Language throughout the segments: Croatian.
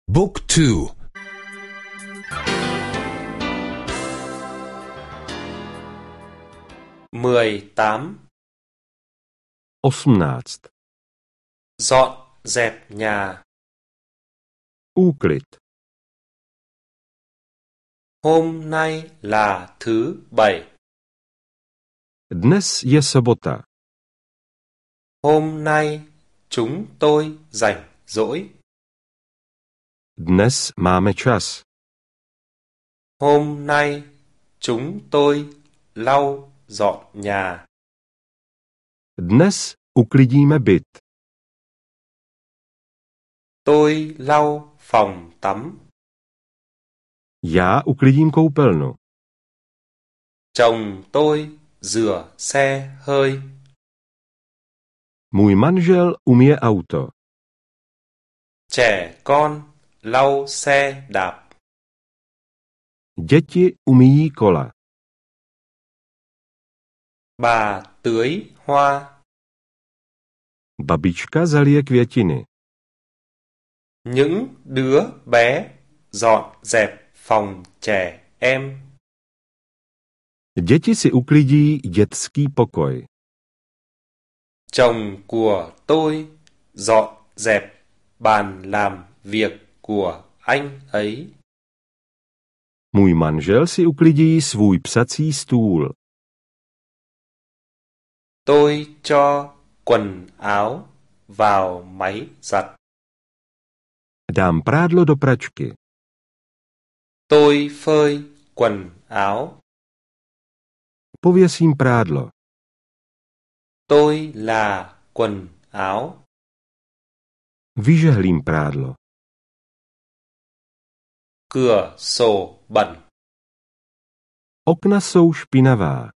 Book 2. 18. 18. Dọn dẹp nhà. Úklid. Hôm nay là thứ Bảy. Dnes je sobota. Hôm nay chúng tôi rảnh rỗi. Dnes máme čas. Hôm nay chúng tôi lau dọn nhà. Dnes uklidíme byt. Tôi lau phòng tắm. Já uklidím koupelnu. Chồng tôi rửa xe hơi. Můj manžel umije auto. Trẻ con lau xe đạp. Děti umíjí kola. Bà tưới hoa. Babička zalije květiny. Những đứa bé dọn dẹp phòng trẻ em. Děti si uklidí dětský pokoj. Chồng của tôi dọn dẹp bàn làm việc của anh ấy. Můj manžel si uklidí svůj psací stůl. Tôi cho quần áo vào máy giặt. Dám prádlo do pračky. Tôi phơi quần áo. Pověsím prádlo. Tôi là quần áo. Vyžehlím prádlo. Cửa sổ bẩn. Okna jsou špinavá.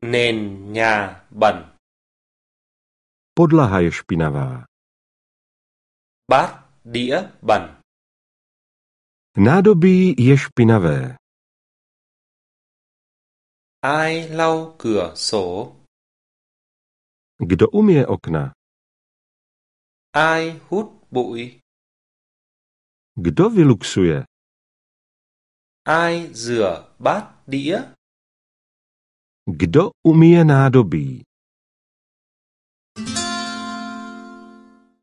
Nền nhà bẩn. Podlaha je špinavá. Bát đĩa bẩn. Nádobí je špinavé. Ai lau cửa sổ? Kdo umije okna? Ai hút bụi? Kdo vyluxuje? Ai rửa bát đĩa? Kdo umije nádobí?